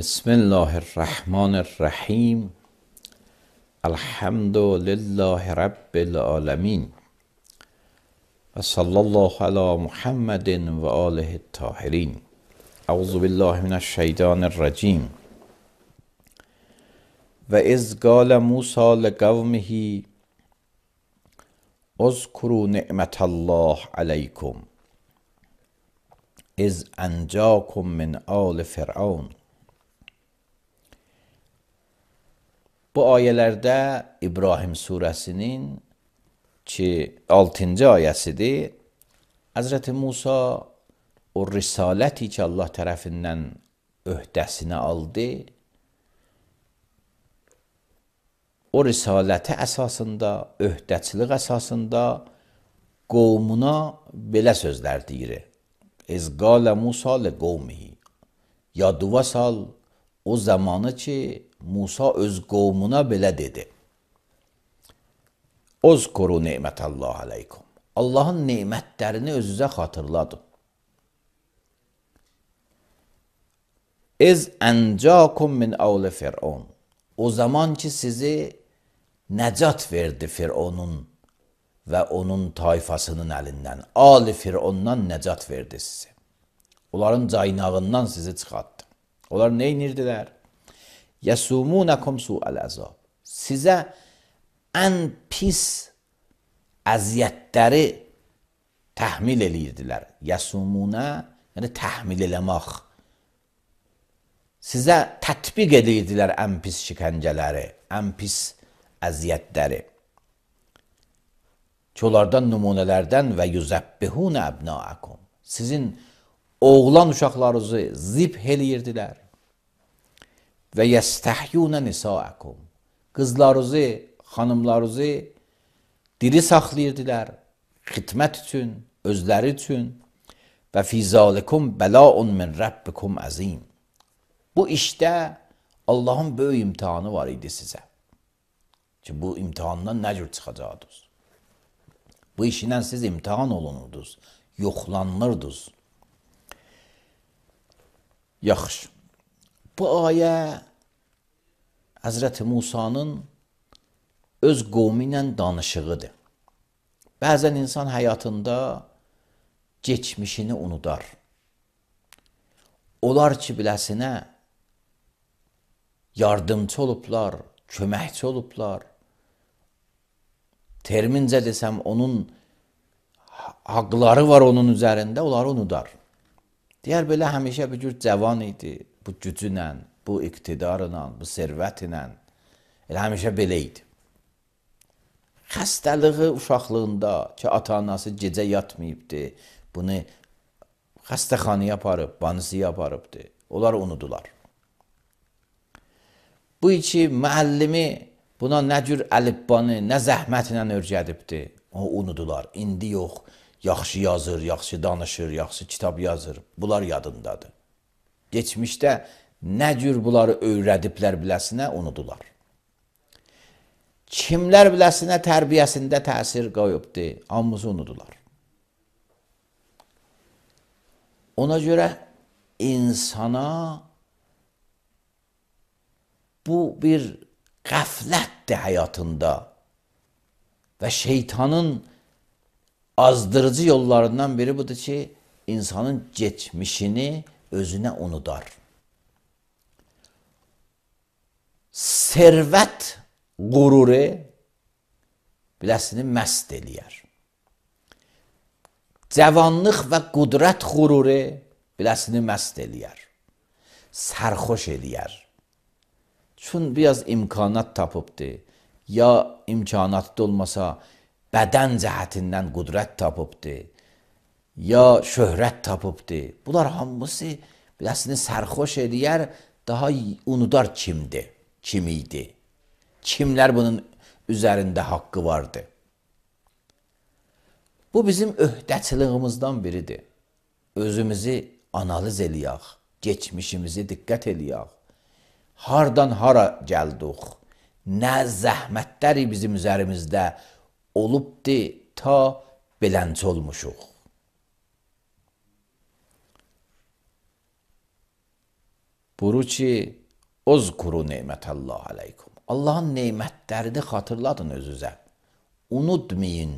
بسم الله الرحمن الرحیم. الحمد لله رب العالمین و صلی الله علی محمد و آله الطاهرین. اعوذ بالله من الشیطان الرجیم. و اذ قال موسی لقومه اذکروا نعمت الله علیکم اذ انجاکم من آل فرعون. Bu ayələrdə İbrahim surəsinin 6-cı ayəsidir. Həzrəti Musa o risaləti ki Allah tərəfindən öhdəsinə aldı, o risaləti əsasında, öhdəçilik əsasında qovmuna belə sözlər deyir. Ez qalə Musa li qovmihi. Yadıva sal o zamanı ki Musa öz qovmuna belə dedi. Uzkuru nemətəllah aleykum. Allahın nemətlərini özünüzə xatırladın. Ez əncakum min avli fir'un. O zaman ki sizi nəcat verdi Fir'onun və onun tayfasının əlindən. Ali Fir'ondan nəcat verdi sizi. Onların caynağından sizi çıxartdı. Onlar nə inirdilər? Yəsumunakum su'al əzab. Sizə ən pis əziyyətləri təhmil eləyirdilər. Yəsumuna, yəni təhmil eləmək. Sizə tətbiq edirdilər ən pis şikəncələri, ən pis əziyyətləri. Ki onlardan nümunələrdən və yüzəbbihunə əbnaakum. Sizin oğlan uşaqlarınızı zibh eləyirdilər. Və yəstəhyunə nisaakum. Qızlarınızı, xanımlarınızı diri saxlayırdılar, xidmət üçün, özləri üçün. Və fizalikum bəlaun min rabbikum əzim. Bu işdə Allahın böyük imtihanı var idi sizə. Ki bu imtihandan nə cür çıxacaqdınız? Bu işindən siz imtihan olunurdunuz, yoxlanırdınız. Yaxşı. Bu ayə Həzrəti Musanın öz qovmi ilə danışığıdır. Bəzən insan həyatında geçmişini unudar. Onlar ki biləsinə yardımcı olublar, köməkçi olublar. Termincə desəm onun haqları var onun üzərində, onları unudar. Deyər belə həmişə bir cür cavan idi. Bu gücünlə, bu iqtidarla, bu servətlə, elə həmişə belə idi. Xəstəliği uşaqlığında ki, ata-anası gecə yatmayıbdı, bunu xəstəxanaya aparıb, banisiyə aparıbdı, onlar unudular. Bu iki müəllimi buna nə cür əlifbanı, nə zəhmətlə öyrədibdi, o unudular. İndi yox, yaxşı yazır, yaxşı danışır, yaxşı kitab yazır, bunlar yadındadır. Geçmişdə nə cür bunları öyrədiblər biləsinə unudular. Kimlər biləsinə tərbiyəsində təsir qoyubdu, hamısı unudular. Ona görə insana bu bir qəflətdir həyatında və şeytanın azdırıcı yollarından biri budur ki, insanın geçmişini özünə unudar. Servət qururu biləsini məst eləyər. Cavanlıq və qudrət qururu biləsini məst eləyər. Sərxoş eləyər. Çün biraz imkanat tapıbdı, ya imkanatda olmasa bədən cəhətindən qudrət tapıbdı, ya şöhrət tapıbdı. Bunlar hamısı biləsini sərxoş eləyər, daha unudar kimdir, kim idi. Kimlər bunun üzərində haqqı vardı. Bu bizim öhdəçiliyimizdən biridir. Özümüzü analiz eləyək, geçmişimizi diqqət eləyək. Hardan hara gəldik, nə zəhmətləri bizim üzərimizdə olubdu, ta belənçi olmuşuq. Buyurur ki, Uzkuru nemətəllah aleykum. Allahın nemətlərini xatırladın özünüzə. Unutmayın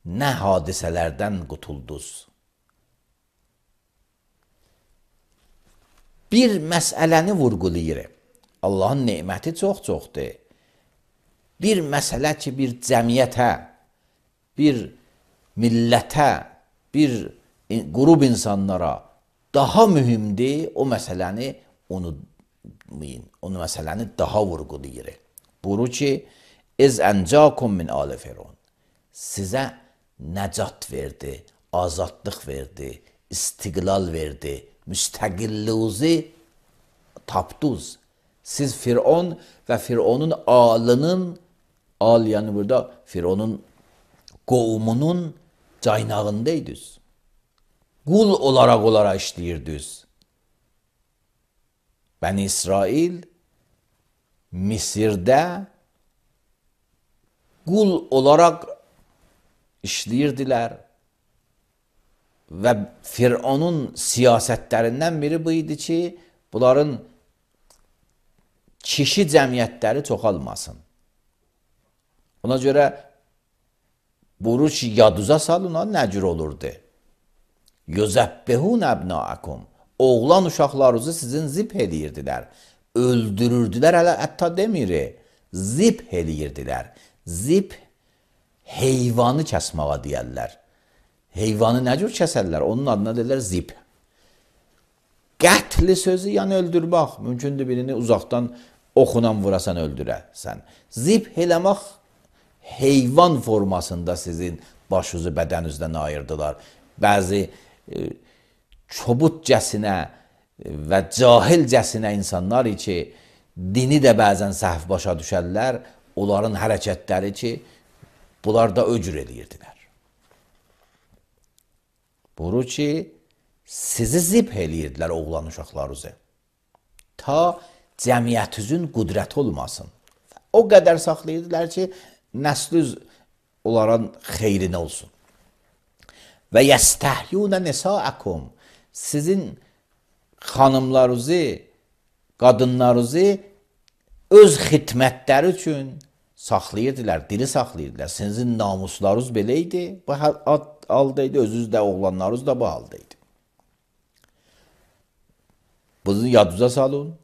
nə hadisələrdən qutuldunuz. Bir məsələni vurğulayır. Allahın neməti çox-çoxdur. Bir məsələ ki, bir cəmiyyətə, bir millətə, bir qrup insanlara daha mühümdir, o məsələni unutmayın. O məsələni daha vurğulayır. Buyurur ki, İz əncakum min ali Firon. Sizə nəcat verdi, azadlıq verdi, istiqlal verdi, müstəqilliğinizi tapdınız. Siz Firon və Fironun alının, al yəni burada Fironun qovmunun caynağındaydınız. Qul olaraq işləyirdiniz. Bəni İsrail Misirdə qul olaraq işləyirdilər və Fironun siyasətlərindən biri bu idi ki, bunların kişi cəmiyyətləri çoxalmasın. Ona görə buyurur ki, yaduza salın, nə cür olurdu? Yüzəbbehun əbnaakum. Oğlan uşaqlarınızı sizin zib eləyirdilər. Öldürürdülər, hətta demir, zib eləyirdilər. Zib heyvanı kəsməyə deyərlər. Heyvanı nə cür kəsərlər? Onun adına deyirlər zib. Qətli sözü, yəni öldürmək. Mümkündür birini uzaqdan oxunan vurasan, öldürəsən. Zib eləmək heyvan formasında sizin başınızı bədəninizdən ayırdılar. Bəzi çobutcəsinə və cahilcəsinə insanlar ki, dini də bəzən səhv başa düşərlər, onların hərəkətləri ki, bunlar da öcür eləyirdilər. Buyurur ki, sizi zib eləyirdilər oğlan uşaqlarınızı. Ta cəmiyyətinizin qüdrəti olmasın. O qədər saxlayırdılar ki, nəslüz onların xeyrinə olsun. Və yəstəhyunə nisaakum. Sizin xanımlarınızı, qadınlarınızı öz xidmətləri üçün saxlayırdılar, diri saxlayırdılar. Sizin namuslarınız belə idi, bu haldaydı, özünüz də, oğlanlarınız da bu haldaydı. Bunu yadınıza salın.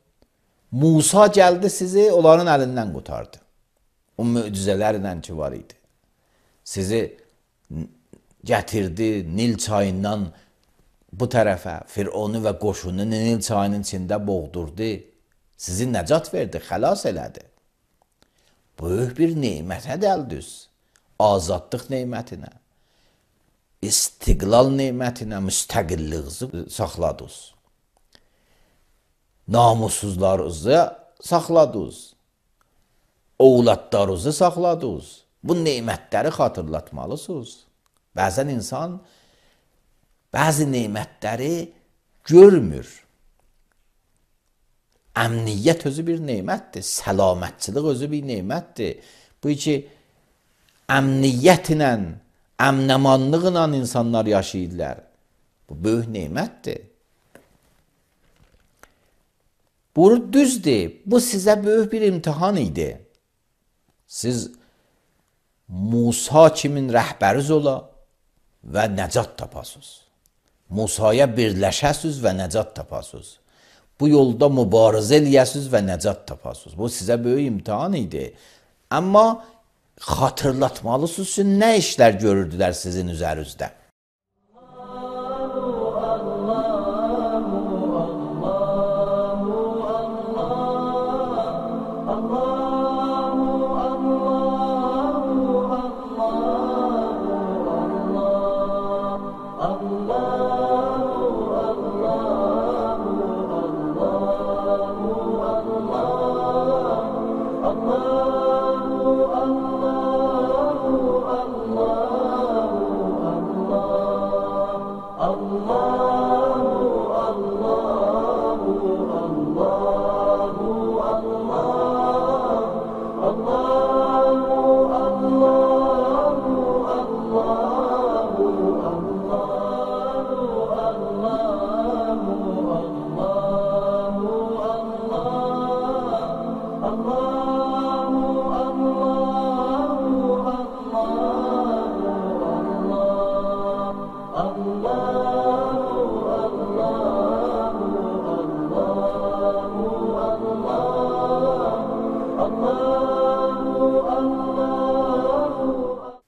Musa gəldi sizi, onların əlindən qurtardı. O möcüzələrlə ki var idi. Sizi gətirdi Nil çayından bu tərəfə, Fironu və qoşunu Nil çayının içində boğdurdu. Sizi nəcat verdi, xəlas elədi. Böyük bir neymətə dəldiniz. Azadlıq neymətinə, istiqlal neymətinə, müstəqilliğinizi saxladınız. Namussuzlarınızı saxladınız. Oğlatlarınızı saxladınız. Bu neymətləri xatırlatmalısınız. Bəzən insan bəzi neymətləri görmür. Əmniyyət özü bir neymətdir. Səlamətçilik özü bir neymətdir. Bu ki, əmniyyətlə, əmnəmanlıqla insanlar yaşayırlar. Bu böyük neymətdir. Bu düzdür. Bu sizə böyük bir imtihan idi. Siz Musa kimin rəhbəriz ola və nəcat tapasınız. Musaya birləşəsiniz və nəcat tapasınız. Bu yolda mübarizə eləyəsiniz və nəcat tapasınız. Bu sizə böyük imtihan idi. Amma xatırlatmalısınız ki, nə işlər görürdülər sizin üzərinizdə.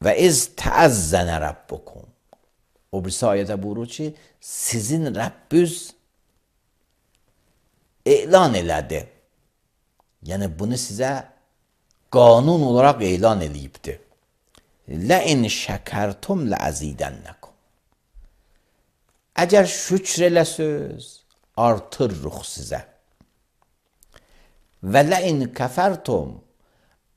Və iz təəzzənə Rabbukum. O birisi ayədə buyurur ki, sizin Rəbbüz elan elədi. Yəni bunu sizə qanun olaraq elan eləyibdir. Ləin şəkərtum ləəzidənnəkum. Əgər şükr eləsöz, artırırıq sizə. Və ləin kəfərtum.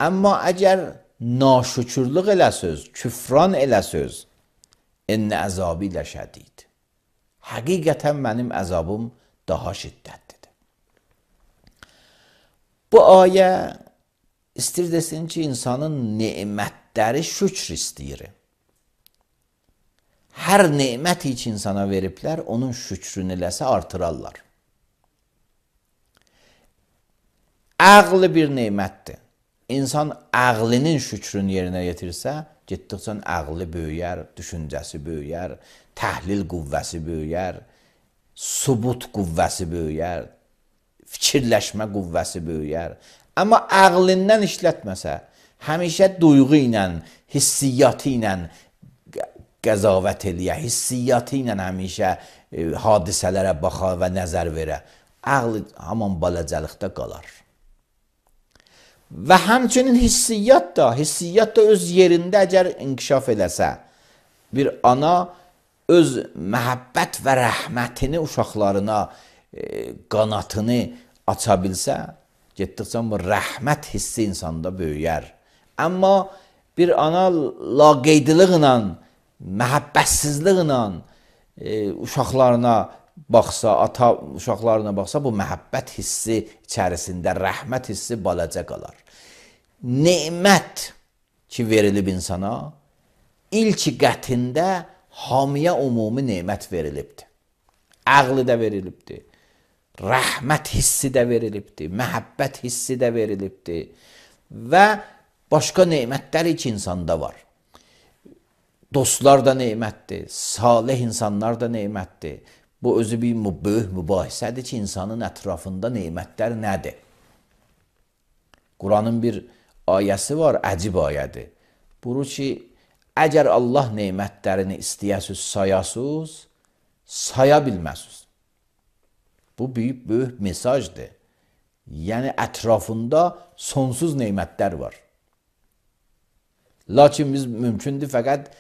Amma əgər naşükürlük eləsöz, küfran eləsöz, ennə əzabi ləşədid. Həqiqətən mənim əzabım daha şiddətlidir. Bu ayə istir desin ki, insanın nemətləri şükr istəyir. Hər nemət ki insana veriblər, onun şükrünü eləsə artırarlar. Ağlı bir nemətdir. İnsan ağlının şükrünü yerinə yetirsə, getdikcə ağlı böyüyər, düşüncəsi böyüyər, təhlil qüvvəsi böyüyər, subut qüvvəsi böyüyər, fikirləşmə qüvvəsi böyüyər. Amma ağlından işlətməsə, həmişə duyğu ilə, hissiyyatı ilə qəzavət eləyə, hissiyyatı ilə həmişə hadisələrə baxa və nəzər verə, ağlı haman balacəlikdə qalar. Və həmçinin hissiyyat da öz yerində əgər inkişaf eləsə, bir ana öz məhəbbət və rəhmətini uşaqlarına, qanatını aça bilsə, getdikcə bu rəhmət hissi insanda böyüyər. Amma bir ana laqeydiliqlə, məhəbbətsizliklə uşaqlarına baxsa, ata uşaqlarına baxsa, bu məhəbbət hissi içərisində rəhmət hissi balaca qalar. Nemət ki verilib insana, ilk qətində hamiyə umumi nemət verilibdir. Ağlı da verilibdir, rəhmət hissi də verilibdir, məhəbbət hissi də verilibdir və başqa nemətlər ki insanda var. Dostlar da nemətdir, salih insanlar da nemətdir. Bu özü bir böyük mübahisədir ki, insanın ətrafında nemətlər nədir? Quranın bir ayəsi var, əcib ayədir. Buyurur ki, əgər Allah nemətlərini istəyəsiz, sayasız, saya bilməsiz. Bu böyük mesajdır. Yəni, ətrafında sonsuz nemətlər var. Lakin biz mümkündür fəqət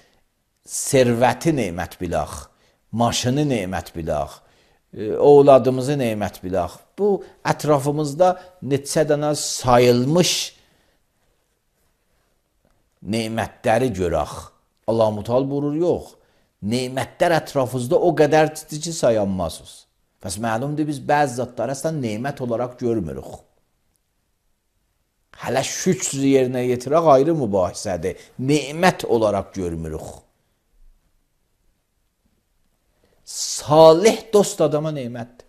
servəti nemət bilək, maşını nemət bilək, oğladımızı nemət bilək. Bu, ətrafımızda neçə dənə sayılmış nemətləri görək. Allah-u Teala buyurur, yox. Nemətlər ətrafınızda o qədər ciddi ki, sayanmazsınız. Bəs məlumdur, biz bəzi zatları əslən nemət olaraq görmürük. Hələ şükr yerinə yetirək ayrı mübahisədir. Nemət olaraq görmürük. Salih dost adama nemətdir.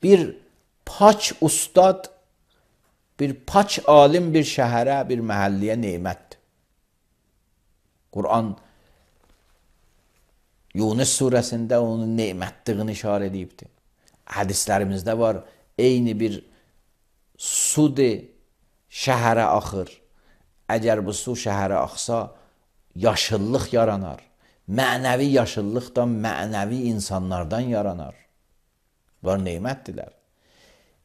Bir pak ustad, bir pak alim bir şəhərə, bir məhəlliyə nemətdir. Quran Yunus surəsində onun nemətliğini işarə edibdir. Hədislərimizdə var, eyni bir sudur, şəhərə axır. Əgər bu su şəhərə axsa, yaşıllıq yaranar. Mənəvi yaşıllıq da mənəvi insanlardan yaranar. Bunlar nemətdirlər.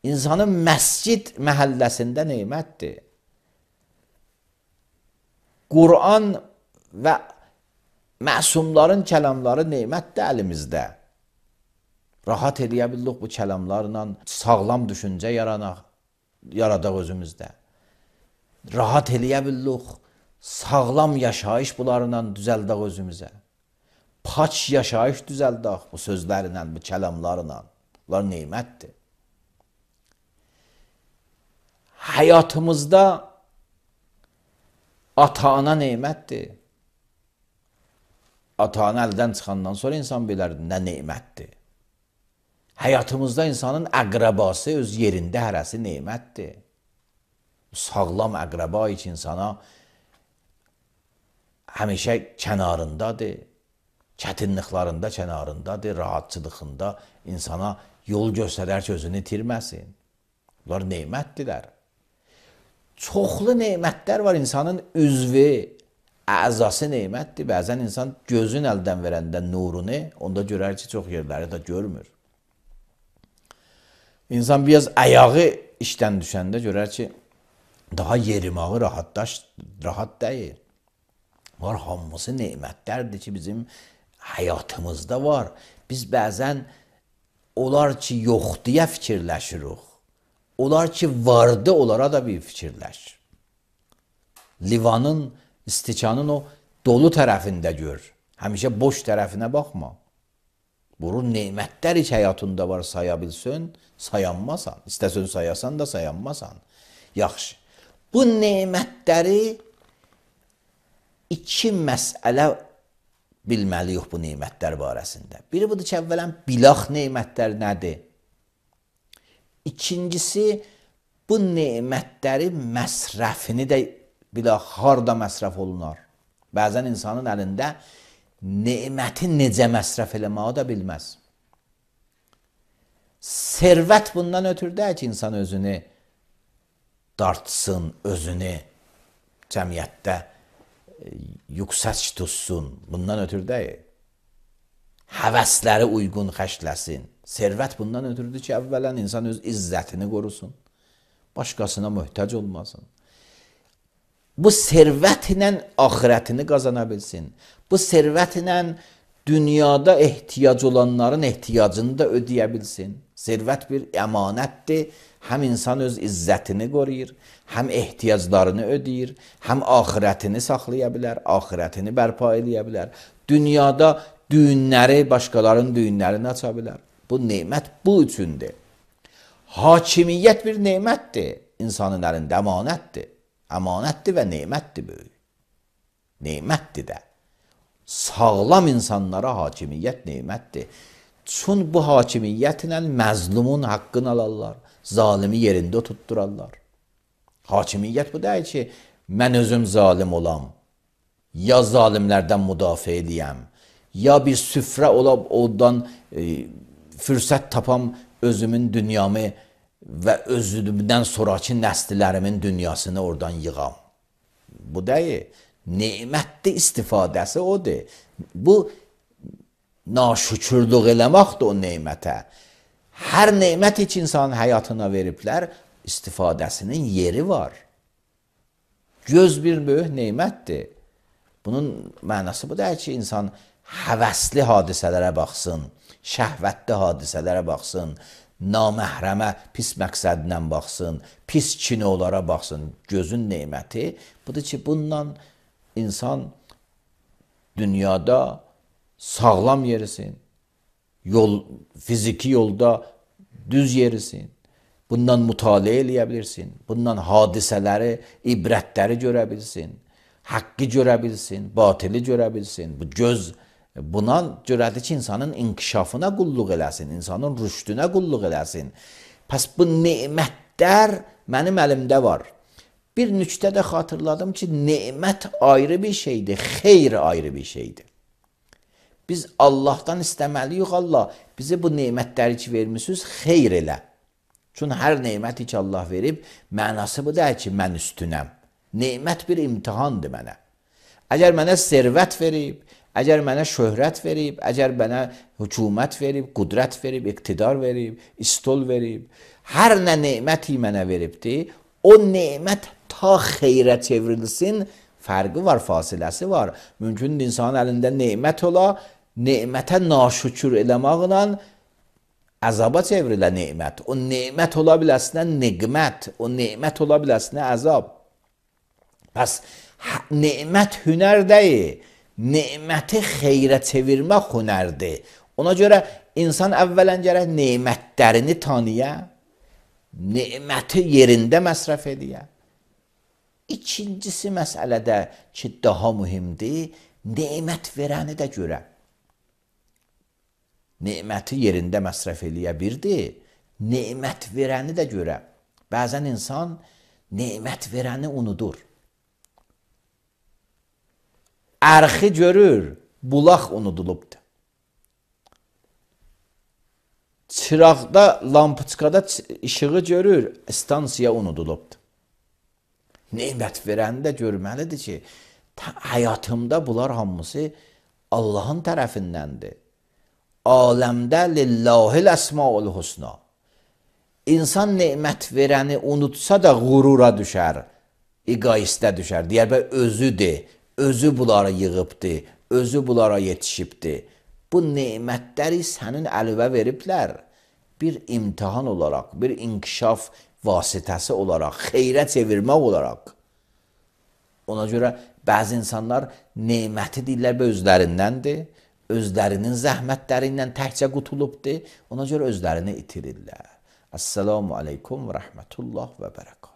İnsanın məscid məhəlləsində nemətdir. Quran və məsumların kəlamları nemətdir əlimizdə. Rahat eləyə bildik bu kəlamlarla sağlam düşüncə yaradaq özümüzdə. Rahat eləyə bildik sağlam yaşayış bunlarla düzəldək özümüzə. Paç yaşayış düzəldək bu sözlərlə, bu kəlamlarla. Bunlar nemətdir. Həyatımızda ata-ana nemətdir. Ata-ana əldən çıxandan sonra insan bilər nə nemətdir. Həyatımızda insanın əqrəbası öz yerində hərəsi nemətdir. Sağlam əqrəba ki insana həmişə kənarındadır, çətinliklərində kənarındadır, rahatçılığında insana yol göstərər ki, özünü itirməsin. Bunlar nemətdirlər. Çoxlu nemətlər var. İnsanın üzvü, əzası nemətdir. Bəzən insan gözün əldən verəndə nurunu, onda görər ki, çox yerləri də görmür. İnsan biraz ayağı işdən düşəndə görər ki, daha yerimağı rahat deyil. Var, hamısı nemətlərdir ki, bizim həyatımızda var. Biz bəzən olar ki, yox deyə fikirləşirik. Olar ki, vardı, onlara da bir fikirləş. Livanın, istikanın o dolu tərəfində gör. Həmişə boş tərəfinə baxma. Bunun nemətlər hiç həyatında var, saya bilsin, sayanmasan. İstəsən sayasan da sayanmasan. Yaxşı. Bu nemətləri iki məsələ bilməliyik bu nemətlər barəsində. Biri budur ki, əvvələn bilaq nemətlər nədir? İkincisi, bu nemətləri məsrəfini də bilaq, harda məsrəf olunar. Bəzən insanın əlində neməti necə məsrəf eləməyi də bilməz. Servət bundan ötürü deyil ki, insan özünü dartsın, özünü cəmiyyətdə yüksək tutsun. Bundan ötürü deyil. Həvəsləri uyğun xərcləsin. Servət bundan ötürüdür ki, əvvələn insan öz izzətini qorusun. Başqasına möhtac olmasın. Bu servətlə axirətini qazana bilsin. Bu servətlə dünyada ehtiyac olanların ehtiyacını da ödəyə bilsin. Servət bir əmanətdir. Həm insan öz izzətini qoruyur, həm ehtiyaclarını ödəyir, həm axirətini saxlaya bilər, axirətini bərpa eləyə bilər. Dünyada düyünləri, başqalarının düyünlərini aça bilər. Bu nemət bu üçündür. Hakimiyyət bir nemətdir. İnsanın əlində əmanətdir. Əmanətdir və nemətdir böyük. Nemətdir də. Sağlam insanlara hakimiyyət nemətdir. Çün bu hakimiyyətlə məzlumun haqqını alarlar. Zalimi yerində tutturarlar. Hakimiyyət bu deyil ki, mən özüm zalim olam. Ya zalimlərdən müdafiə edəyəm. Ya bir süfrə olab ondan fürsət tapam özümün dünyamı və özümdən sonraki nəslilərimin dünyasını oradan yığam. Bu deyil. Nemətli istifadəsi odur. Bu naşükürlük eləməkdir o nemətə. Hər nemət heç insanın həyatına veriblər, istifadəsinin yeri var. Göz bir böyük nemətdir. Bunun mənası bu deyil ki, insan həvəsli hadisələrə baxsın, şəhvətli hadisələrə baxsın, naməhrəmə pis məqsədlə baxsın, pis kinolara baxsın. Gözün neməti budur ki, bundan insan dünyada sağlam yerisin, fiziki yolda düz yerisin, bundan mütaliə eləyə bilirsin, bundan hadisələri, ibrətləri görə bilsin, haqqı görə bilsin, batili görə bilsin. Bu göz buna görədir ki, insanın inkişafına qulluq eləsin, insanın rüşdünə qulluq eləsin. Pəs bu nemətlər mənim əlimdə var. Bir nüktə də xatırladım ki, nemət ayrı bir şeydir, xeyr ayrı bir şeydir. Biz Allahdan istəməliyik, Allah bizi bu nemətləri ki vermişsiniz, xeyr elə. Çünki hər neməti ki Allah verib, mənası bu deyil ki, mən üstünəm. Nemət bir imtihandır mənə. Əgər mənə servət verib, əgər mənə şöhrət verib, əgər mənə hökumət verib, qudrət verib, iqtidar verib, istol verib, hər nə neməti mənə veribdir, o nemət ta xeyrə çevrilsin, fərqi var, fasiləsi var. Mümkündür insanın əlində nemət ola, nemətə naşükür eləməklə əzaba çevrilə nemət. O nemət ola biləsinə niqmət, o nemət ola biləsinə əzab. Pəs, nemət hünər deyil, neməti xeyrə çevirmək hünərdir. Ona görə insan əvvələn gərək nemətlərini tanıya, neməti yerində məsrəf ediyə. İkincisi məsələdə ki, daha mühimdir, nemət verəni də görə. Neməti yerində məsrəf eləyə birdir, nemət verəni də görə. Bəzən insan nemət verəni unudur. Ərxi görür, bulaq unudulubdur. Çıraqda, lampiçkada işığı görür, stansiya unudulubdur. Nemət verəndə görməlidir ki, həyatımda bunlar hamısı Allahın tərəfindəndir. Aləmdə lillahil əsmaul husna. İnsan nemət verəni unutsa da qurura düşər, egoistə düşər. Deyər bə özüdür, özü bunlara yığıbdır, özü bunlara yetişibdir. Bu nemətləri sənin əlinə veriblər. Bir imtihan olaraq, bir inkişaf vasitəsi olaraq, xeyrə çevirmək olaraq. Ona görə bəzi insanlar neməti deyirlər və özlərindəndir, özlərinin zəhmətlərindən təkcə qutulubdur, ona görə özlərini itirirlər. Əssalamu aleykum və rəhmətullah və bərəkət.